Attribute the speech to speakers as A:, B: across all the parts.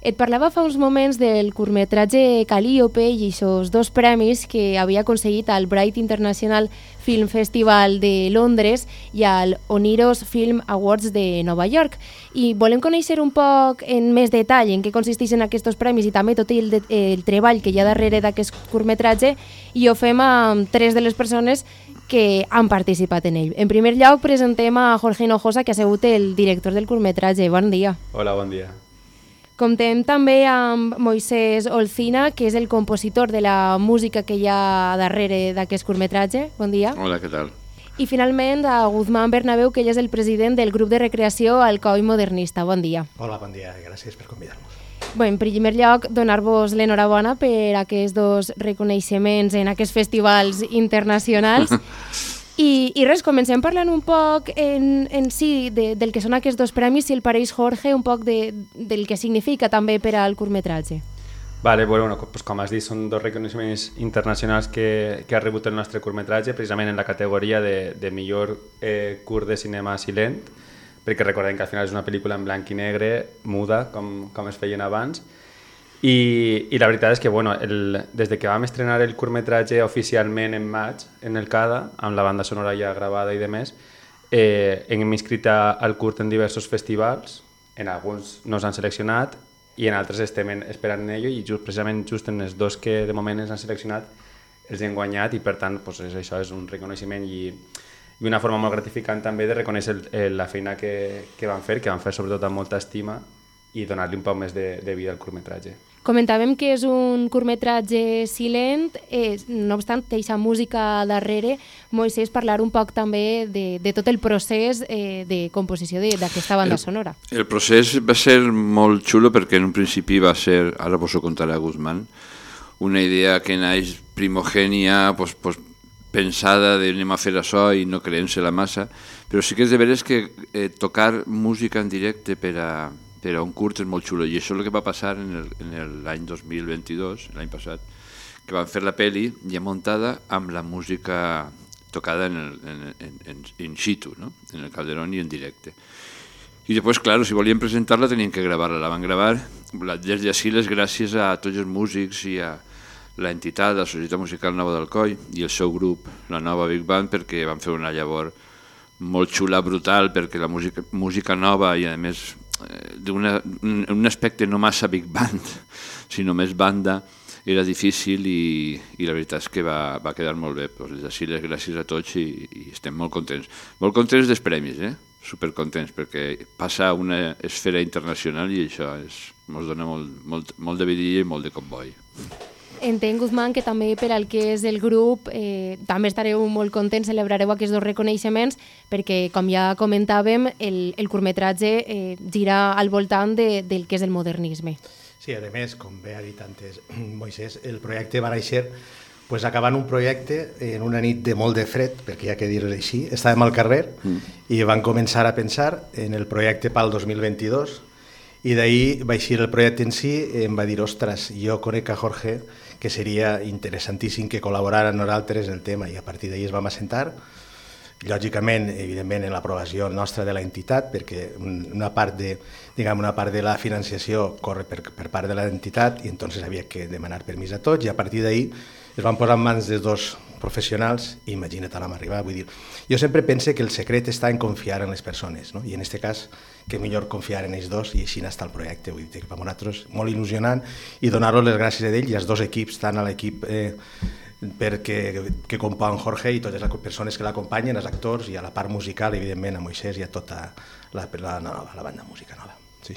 A: Et parlava fa uns moments del curtmetratge Calliope i aquests 2 premis que havia aconseguit al Bright International Film Festival de Londres i al Oniros Film Awards de Nova York. I volem conèixer un poc en més detall en què consisteixen aquests premis i també tot el treball que hi ha darrere d'aquest curtmetratge, i ho fem amb 3 de les persones que han participat en ell. En primer lloc, presentem a Jorge Hinojosa, que ha sigut el director del curtmetratge. Bon dia.
B: Hola, bon dia.
A: Comptem també amb Moisés Olcina, que és el compositor de la música que hi ha darrere d'aquest curtmetratge. Bon dia.
C: Hola, què tal?
A: I finalment a Guzmán Bernabéu, que ell és el president del grup de recreació Alcoi Modernista. Bon dia.
D: Hola, bon dia. Gràcies per convidar-nos.
A: Bé, en primer lloc, donar-vos l'enhorabona per aquests 2 reconeixements en aquests festivals internacionals. I res, comencem parlant un poc en si del que són aquests 2 premis, si el pareix, Jorge, un poc del que significa també per al curtmetratge.
B: Vale, bueno, pues com has dit, són 2 reconeixements internacionals que ha rebut el nostre curtmetratge, precisament en la categoria de millor curt de cinema silent, perquè recordem que al final és una pel·lícula en blanc i negre, muda, com es feien abans. I la veritat és que bueno, des de que vam estrenar el curtmetratge oficialment en maig en el CADA, amb la banda sonora ja gravada i demés, hem inscrit al curt en diversos festivals, en alguns nos han seleccionat i en altres estem esperant en ello, i precisament en els 2 que de moment ens han seleccionat els hem guanyat, i per tant pues, això és un reconeixement i una forma molt gratificant també de reconèixer la feina que van fer sobretot amb molta estima, i donar-li un poc més de vida al curtmetratge.
A: Comentàvem que és un curtmetratge silent, no obstant, té aquesta música darrere. Moisés, parlar un poc també de tot el procés de composició d'aquesta banda sonora.
C: El procés va ser molt xulo perquè en un principi va ser, ara vos ho contarà Guzmán, una idea que naix primogènia, pensada de anem a fer això i no creent-se-la massa, però sí que és de veres que tocar música en directe per a un curt és molt xulo, i això és el que va passar en l'any 2022, l'any passat, que van fer la pel·li ja muntada amb la música tocada in situ, no? En el Calderón i en directe. I després, clar, si volien presentar-la tenien que gravar-la, la van gravar. Des d'ací les gràcies a tots els músics i a l'entitat, la Societat Musical Nova d'Alcoi i el seu grup, la Nova Big Band, perquè van fer una llavor molt xula, brutal, perquè la música nova i a més d'un aspecte no massa big band, sinó més banda, era difícil i la veritat és que va quedar molt bé. Des d'ací les gràcies a tots i estem molt contents. Molt contents dels premis, supercontents, perquè passa a una esfera internacional i això ens dona molt de vidilla i molt de comboi.
A: Entenc, Guzmán, que també per al que és el grup també estareu molt contents, celebrareu aquests 2 reconeixements, perquè, com ja comentàvem, el curtmetratge gira al voltant del que és el modernisme.
D: Sí, a més, com bé ha dit antes Moisés, el projecte va néixer acabant un projecte en una nit de molt de fred, perquè hi ha que dir-ho així, estàvem al carrer i van començar a pensar en el projecte pel 2022, i d'ahir va eixir el projecte en si i em va dir, ostres, jo conec a Jorge, que seria interessantíssim que col·laborara amb nosaltres en el tema, i a partir d'ahir es vam assentar, lògicament, evidentment, en l'aprovació nostra de l'entitat, perquè una part de la financiació corre per part de l'entitat, i entonces havia que demanar permís a tots, i a partir d'ahir es van posar en mans de 2 professionals, i imagina't on vam arribar. Vull dir, jo sempre pense que el secret està en confiar en les persones, no? I en aquest cas, que millor confiar en ells 2, i així està el projecte. Vull dir que per nosaltres molt il·lusionant, i donar-los les gràcies a ell i als 2 equips, tant a l'equip que compon Jorge i totes les persones que l'acompanyen, els actors, i a la part musical, evidentment, a Moisés i a tota la banda música nova. Sí.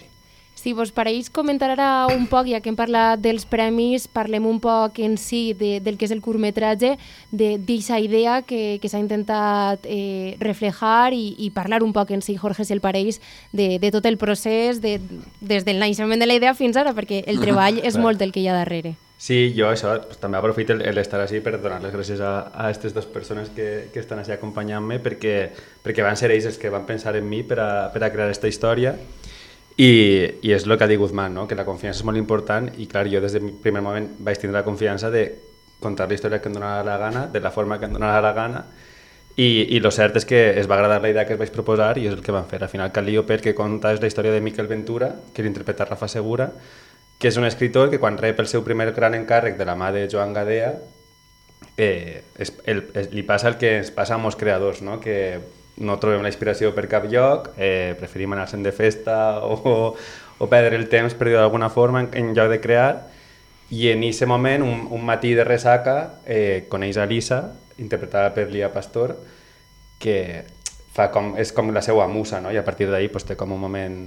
A: Si vos pareix comentar ara un poc, ja que hem parlat dels premis, parlem un poc en si del que és el curtmetratge, d'aquesta idea que s'ha intentat reflejar i parlar un poc en si, Jorge, si el pareix, de tot el procés, des del naixement de la idea fins ara, perquè el treball és molt el que hi ha darrere.
B: Sí, jo això, també aprofito l'estar així per donar les gràcies a aquestes 2 persones que estan així acompanyant-me, perquè van ser ells els que van pensar en mi per a crear aquesta història. I és el que ha dit Guzmán, no? Que la confiança és molt important, i clar, jo des del primer moment vaig tindre la confiança de contar la història que em donava la gana, de la forma que em donava la gana, i el cert és que es va agradar la idea que es vaig proposar i és el que van fer. Al final, Calliope, que conta és la història de Miquel Ventura, que l'interpreta Rafa Segura, que és un escritor que quan rep el seu primer gran encàrrec de la mà de Joan Gadea, li passa el que ens passa a molts creadors, no? Que no trobem la inspiració per cap lloc, preferim anar-se'n de festa o perdre el temps, per dir d'alguna forma, en lloc de crear, i en aquest moment, un matí de ressaca, coneix a Lisa, interpretada per Lia Pastor, que és com la seva musa, no? I a partir d'ahir té com un moment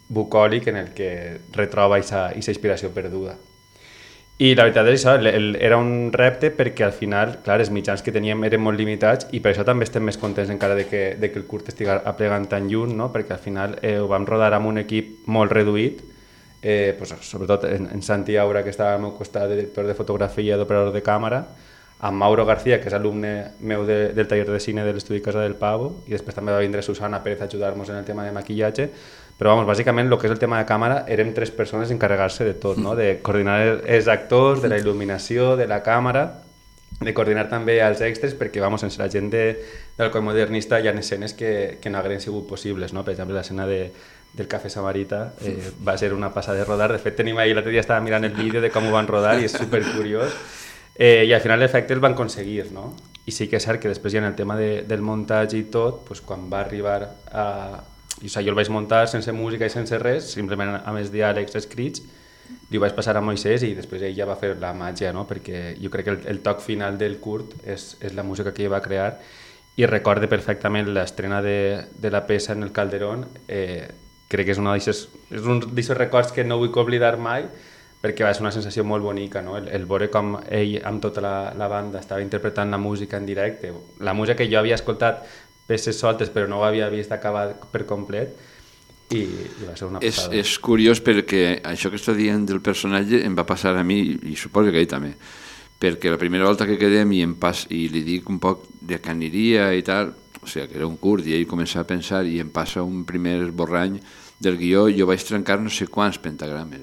B: bucòlic en el que retroba aquesta inspiració perduda. I la veritat és això, era un repte perquè al final, clar, els mitjans que teníem eren molt limitats i per això també estem més contents encara de que el curt estigui aplegant tan lluny, no? Perquè al final ho vam rodar amb un equip molt reduït, sobretot en Santi Aura, que estava al meu costat, director de fotografia i d'operador de càmera, amb Mauro García, que és alumne meu del taller de cine de l'estudi Casa del Pavo, i després també va vindre Susana Pérez a ajudar-nos en el tema de maquillatge, però bàsicament el que és el tema de càmera érem 3 persones encarregar-se de tot, no? De coordinar els actors, de la il·luminació, de la càmera, de coordinar també els extras, perquè sense la gent del Coll Modernista hi ha escenes que no hagueren sigut possibles, no? Per exemple, l'escena del Cafè Samarita va ser una passada de rodar. De fet, tenim ahir, l'altre dia estava mirant el vídeo de com ho van rodar i és supercuriós. I al final l'efecte el van aconseguir, no? I sí que és cert que després ja en el tema del muntatge i tot, quan va arribar a... jo el vaig muntar sense música i sense res, simplement amb els diàlegs escrits, li ho vaig passar a Moisès i després ell ja va fer la màgia, no? Perquè jo crec que el toc final del curt és la música que ell va crear i recorde perfectament l'estrena de la peça en el Calderón. Crec que és un d'aquests records que no vull oblidar mai, perquè va ser una sensació molt bonica, no? El veure com ell amb tota la banda estava interpretant la música en directe, la música que jo havia escoltat peces soltes però no ho havia vist acabar per complet i va ser una passada.
C: És curiós perquè això que està dient del personatge em va passar a mi i suposo que a ell també, perquè la primera volta que quedem i li dic un poc de què aniria i tal, o sigui que era un curt i ell comença a pensar i em passa un primer esborrany del guió, jo vaig trencar no sé quants pentagrames,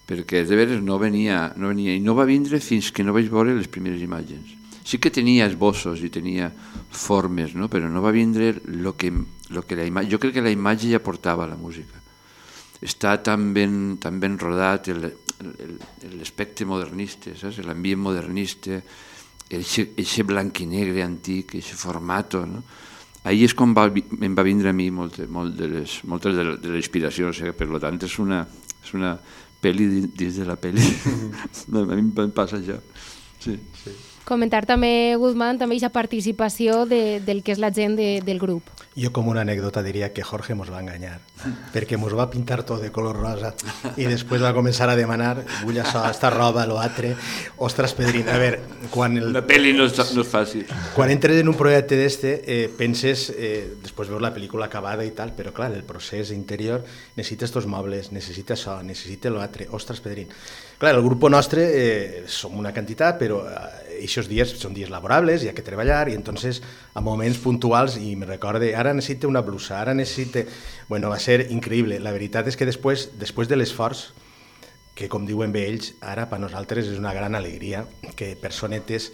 C: perquè de veres no venia i no va vindre fins que no vaig veure les primeres imatges. Sí que tenia esbossos i tenia formes, no? Però no va vindre lo que la imatge... Jo crec que la imatge ja portava la música. Està tan ben rodat l'aspecte modernista, saps? L'ambient modernista, eixe blanc i negre antic, eixe formato, no? Ahir és quan em va vindre a mi moltes de la inspiració, o sigui, per tant és una pel·li dins de la pel·li. A mi em passa això. Sí.
A: Comentar també, Guzmán, també aquesta participació del que és la gent del grup.
D: Jo com una anècdota diria que Jorge mos va enganyar, perquè mos va pintar tot de color rosa i després va començar a demanar vull això, esta roba, lo altre. Ostres, Pedrín, a veure, quan...
C: La pel·li no és fàcil.
D: Quan entres en un projecte d'este, penses, després veus la pel·lícula acabada i tal, però clar, el procés interior necessita estos mobles, necessita això, necessita lo altre. Ostres, Pedrín. Clar, el grup nostre som una quantitat, però aquests dies són dies laborables, hi ha que treballar, i entonces a moments puntuals, i me recorde, ara necessita una blusa, ara necessita... Bueno, va ser increïble. La veritat és que després de l'esforç, que com diuen bé ells, ara per nosaltres és una gran alegria que personetes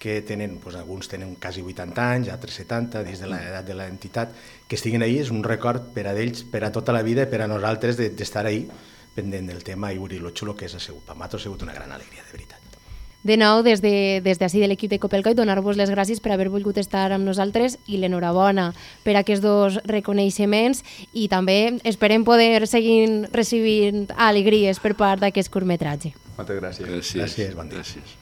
D: que tenen, doncs alguns tenen quasi 80 anys, altres 70, dins de l'edat de l'entitat, que estiguin ahí, és un record per a ells, per a tota la vida, per a nosaltres d'estar ahí, pendent del tema i veure lo xulo que és. Per nosaltres ha sigut una gran alegria, de veritat.
A: De nou, des d'ací de l'equip de Copelcoy, donar-vos les gràcies per haver volgut estar amb nosaltres i l'enhorabona per aquests 2 reconeixements i també esperem poder seguir recibint alegries per part d'aquest curtmetratge.
B: Moltes gràcies.
D: Gràcies, bon dia.
C: Gràcies.